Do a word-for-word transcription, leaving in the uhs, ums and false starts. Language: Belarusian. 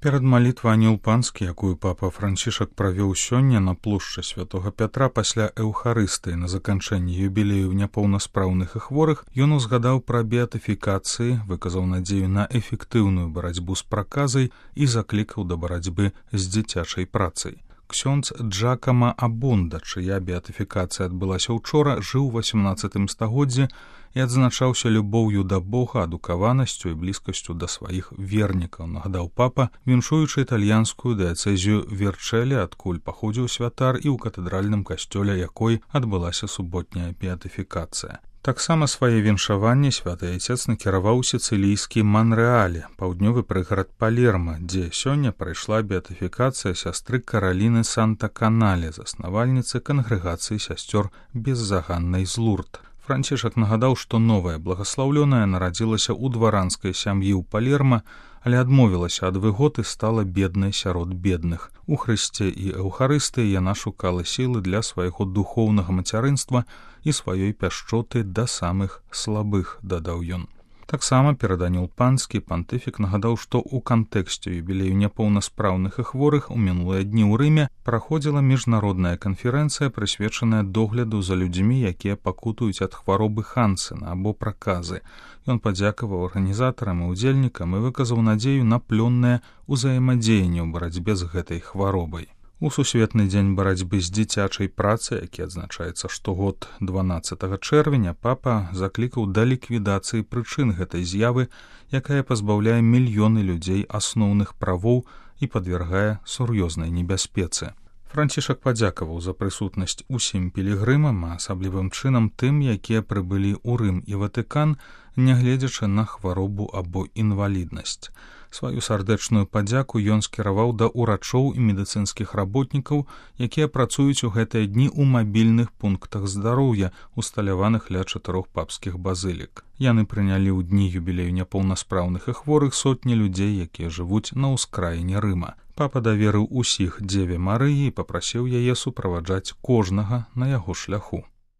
Перад малітвай Анёл Панскі, якую папа Францішак правёў сёння на плошчы Святога Пятра пасля эўхарыстыі на заканчэнні юбілею няпоўнаспраўных і хворых, ён узгадаў пра беатыфікацыі, выказаў надзею на эфектыўную барацьбу з праказай і заклікаў да барацьбы з дзіцячай працай. Ксёндз Джакама Абонда, чыя беатыфікацыя адбылася ўчора, жыў у васямнаццатым стагоддзі і адзначаўся любоўю да Бога, адукаванасцю і блізкасцю да сваіх вернікаў, нагадаў папа, віншуючы італьянскую дыяцэзію Верчэлі, адкуль паходзіў святар і ў катэдральным касцёле якой адбылася суботняя беатыфікацыя. Таксама свае віншаванні святы айцец накіраваў у сіцылійскі Манрэале, паўднёвы прыгарад Палерма, дзе сёння прайшла беатыфікацыя сястры Караліны Санта-Канале, заснавальніцы кангрэгацыі сясцёр беззаганнай з Лурд. Францішак нагадаў, што новая благаслаўлёная нарадзілася ў дваранскай сям'і ў Палерма, але адмовілася ад выгод і стала беднай сярод бедных. У Хрысце і Эўхарыстыі яна шукала сілы для свайго духоўнага мацярынства і сваёй пяшчоты да самых слабых, дадаў ён. Таксама перад Анёл Панскі пантыфік нагадаў, што ў кантэксце юбілею няпоўнаспраўных і хворых у мінулыя дні ў Рыме праходзіла міжнародная канферэнцыя, прысвечаная догляду за людзьмі, якія пакутуюць ад хваробы Хансена або праказы. Ён падзякаваў арганізатарам і удзельнікам і выказаў надзею на плённае ўзаемадзеянне ў барацьбе з гэтай хваробай. У сусветны дзень барацьбы з дзіцячай працай, які адзначаецца штогод дванаццатага чэрвеня, папа заклікаў да ліквідацыі прычын гэтай з'явы, якая пазбаўляе мільёны людзей асноўных правоў і падвяргае сур'ёзнай небяспецы. Францішак падзякаваў за прысутнасць усім пілігрымам, а асаблівым чынам тым, якія прыбылі ў Рым і Ватыкан, нягледзячы на хваробу або інваліднасць. Сваю сардэчную падзяку ён скіраваў да ўрачоў і медыцынскіх работнікаў, якія працуюць у гэтыя дні ў мабільных пунктах здароўя, усталяваных ля чатырох папскіх базылік. Яны прынялі ў дні юбілею няпоўнаспраўных і хворых сотні людзей, якія жывуць на ўскраіне Рыма. Папа даверыў усіх Дзеве Марыі і папрасіў яе суправаджаць кожнага на яго шляху.